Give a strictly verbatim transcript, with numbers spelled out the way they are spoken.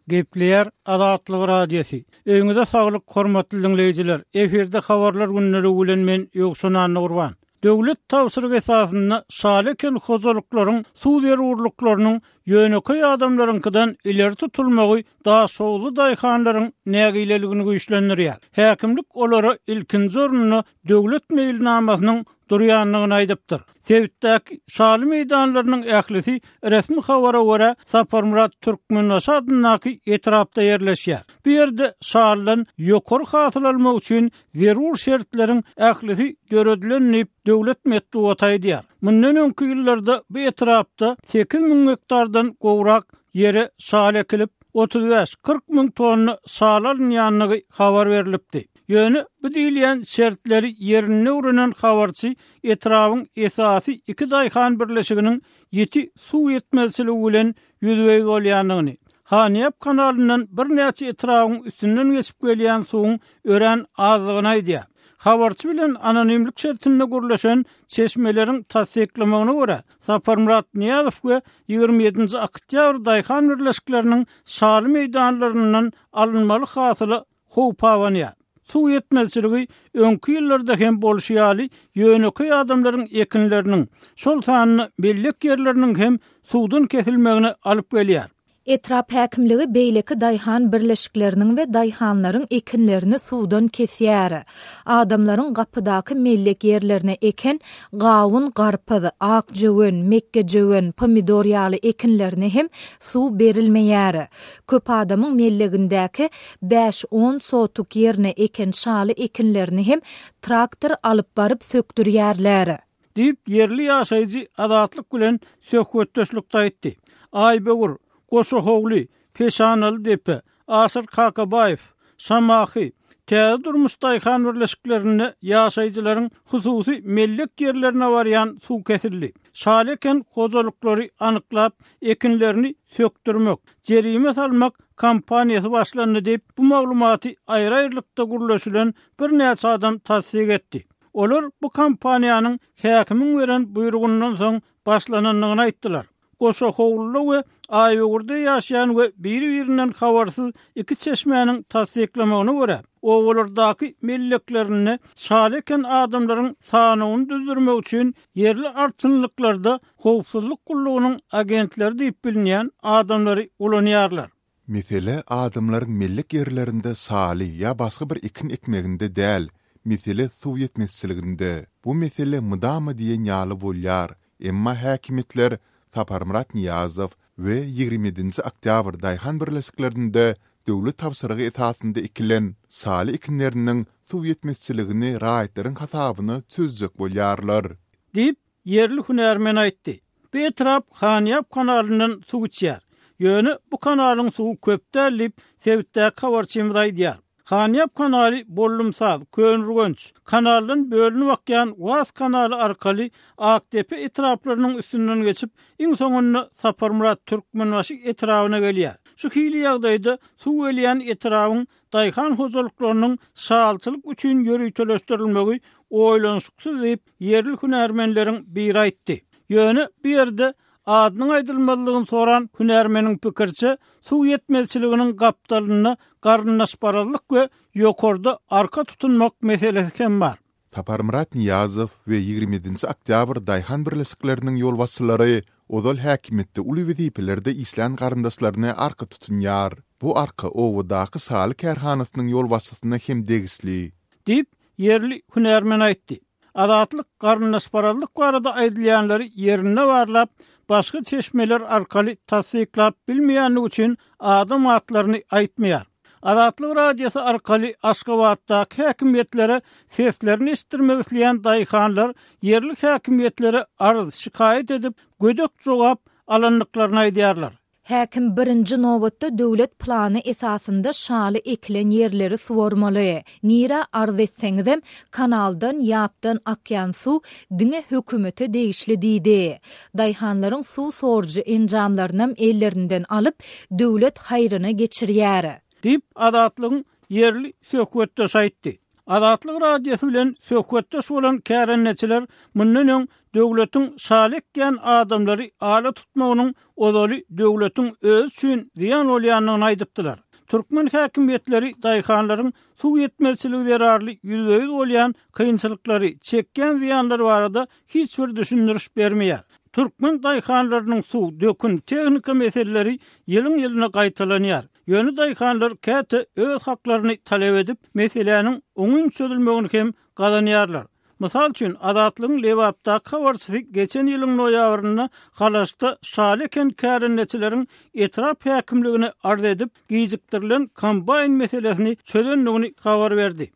Gepleýär Azatlyk Radiosy. Öýüňize saglyk, hormatly diňleýjiler. Efirde habarlar günlügi bilen men Ýowşan Annagurban. Döwlet tabşyrygy esasynda şaly eken hojalyklaryň suw zerurlyklarynyň ýönekeý adamlaryňkydan ileri tutulmagy Daşoguzly daýhanlaryň nägileligini güýçlendirýär. Häkimlik olara ilkinji orunda döwlet meýilnamasynyň durýandygyny aýdypdyr. Sebitdäki şaly meýdanlarynyň ählisi resmi habara görä Saparmyrat Türkmenbaşy adyndaky etrapda ýerleşýär. Bu ýerde şalydan ýokary hasyl almak üçin zerur şertleriň ählisi döredilen diýip döwlet metbugaty aýdýar. Mundan öňki ýyllarda bu etrapda sekiz müň gektardan gowrak ýere şaly ekilip, otuz bäş kyrk müň tonna şaly alynýandygy habar berilipdi. Ýöne bu diýilýän şertleri ýerinde öwrenen habarçy etrabın esasy iki daýhan birleşiginiň ýeti suw ýetmezçiligi bilen ýüzbe-ýüz bolýandygyny, Hanýap kanalyndan birnäçe etrabın üstünden geçip gelýän suwuň örän azlygyny aýdýar. Habarçy bilen anonimlik şertinde gürleşen çeşmeleriň tassyklamagyna görä, Saparmyrat Nyýazow we ýigrimi ýedinji oktýabr daýhan birleşikleriniň şaly meýdanlaryndan alynmaly hasyla howp abanýar. Suw ýetmezçiligi öňki ýyllarda hem bolşy ýaly ýönekeý adamlaryň ekinleriniň, şol sanda mellek ýerleriniň hem suwdan kesilmegine alyp gelýär. Etrap häkimligi beýleki daýhan birleşikleriniň we daýhanlaryň ekinlerini suwdan kesýär. Adamlaryň gapydaky mellek ýerlerine eken gawun, garpyz, ak jöwen, mekke jöwen, pomidor ýaly ekinlerine hem suw berilmeýär. Köp adamyň mellegindäki bäş on sotuk ýerine eken şaly ekinlerini hem traktor alyp baryp sökdürýärler. Diýip ýerli ýaşaýjy Azatlyk bilen söhbetdeşlikde aýtdy. Aýbegur, Goşahowly, Peşanaly depe, Aşyr Kakabaýew, Şamahy, Täze durmuş daýhan birleşiklerinde ýaşaýjylaryň hususy mellek ýerlerine barýan suw kesildi. Şaly eken hojalyklary anyklap, ekinlerini sökdürmek, jerime salmak kampaniýasy başlandy diýip, bu maglumaty aýry-aýrylykda gürleşilen birnäçe adam tassyk etdi. Olar bu kampaniýanyň häkimiň beren buýrugyndan soň başlanandygyny aýtdylar. Goşahowluda we Aýbegurda ýaşaýan we biri-birinden habarsyz iki çeşmäniň tassyklamagyna görä, obalardaky melleklerinde şaly eken adamlaryň sanyny düzdürmek üçin ýerli arçynlyklarda howpsuzlyk gullugynyň agentleri diýip bilinýän adamlary ulanýarlar. Mesele adamlaryň mellek ýerlerinde şaly ýa başga bir ekin ekmeginde däl, mesele suw ýetmezçiliginde. Bu mesele mydama diýen ýaly bolýar. Emma häkimiýetler Saparmyrat Nyýazow we ýigrimi ýedinji oktýabr daýhan birleşiklerinde döwlet tabşyrygy esasynda ekilen şaly ekinleriniň suw ýetmezçiligini raýatlaryň hasabyna çözjek bolýarlar. Diýip ýerli hünärmen aýtdy. Bu etrap Hanýap kanalyndan suw içýär. Ýöne bu kanalyň suwy köp däl diýip sebitdäki habarçymyz aýdýar. Hanýap kanaly Bollumsaz, Könürgenç, kanaldan bölünip akýan Was kanaly arkaly Akdepe etraplarynyň üstünden geçip, iň soňunda Saparmyrat Türkmenbaşy etrabyna gelýär. Şu hili ýagdaýda suw gelýän etrabyň daýhan hojalyklarynyň şalçylyk üçin ýöriteleşdirilmegi oýlanyşyksyz diýip ýerli hünärmenleriň biri aýtdy. Ýöne bu ýerde adynyň aýdylmazlygyny soran hünärmeniň pikirçe suw ýetmezçiliginiň gapdalynda garyndaşparazlyk we ýokarda arka tutunmak meselesi hem bar. Saparmyrat Nyýazow we ýigrimi ýedinji oktýabr daýhan birleşikleriniň ýolbaşçylary ozal häkimiýetde uly wezipelerde işlän garyndaşlaryny arka tutunýar. Bu arka obadaky şaly kärhanasynyň ýolbaşçysyna hem degişli. Diýip ýerli hünärmen aýtdy. Azatlyk garyndaşparazlyk barada aýdylýanlary ýerinde barlap, başga çeşmeler arkaly tassyklap bilmeýänligi üçin adam atlaryny aýtmaýar. Azatlyk Radiosy arkaly Aşgabatdaky häkimiýetlere seslerini eşitdirmek isleýän daýhanlar ýerli häkimiýetlere arz şikaýat edip, gödek jogap alandyklaryny aýdýarlar. Häkim birinji nobatda döwlet plany esasynda şaly ekilen ýerleri suwarmaly. Nira arz etseňizem kanaldan ýapdan akýan suw diňe hökümete degişli diýdi. Daýhanlaryň suw sorujy enjamlarynam ellerinden alyp döwlet haýryna geçirýär. Diýip Azatlygyň ýerli söhbetdeşi aýtdy. Azatlyk Radiosy bilen söhbetdeş bolan kärendeçiler mundan öň döwletiň şaly ekýän adamlary ala tutmagynyň ozaly döwletiň özi üçin zyýan bolýandygyny aýdypdylar. Türkmen häkimiýetleri daýhanlaryň suw ýetmezçiligi zerarly ýüzbe-ýüz bolýan kynçylyklary, çekýän zyýanlary barada hiç bir düşündiriş bermeýär. Türkmen daýhanlarynyň suw, dökün, tehnika meseleleri ýylyň-ýylyna gaýtalanýar. Ýöne daýhanlar käte öz haklaryny talap edip, meseläniň oňyn çözülmegini hem gazanýarlar. Mysal üçin, Azatlygyň Lebapdaky habarçysy geçen ýylyň noýabrynda Halaçda şaly eken kärendeçileriň etrap häkimligine arz edip, gijikdirilen kombaýn meselesini çözendigini habar berdi.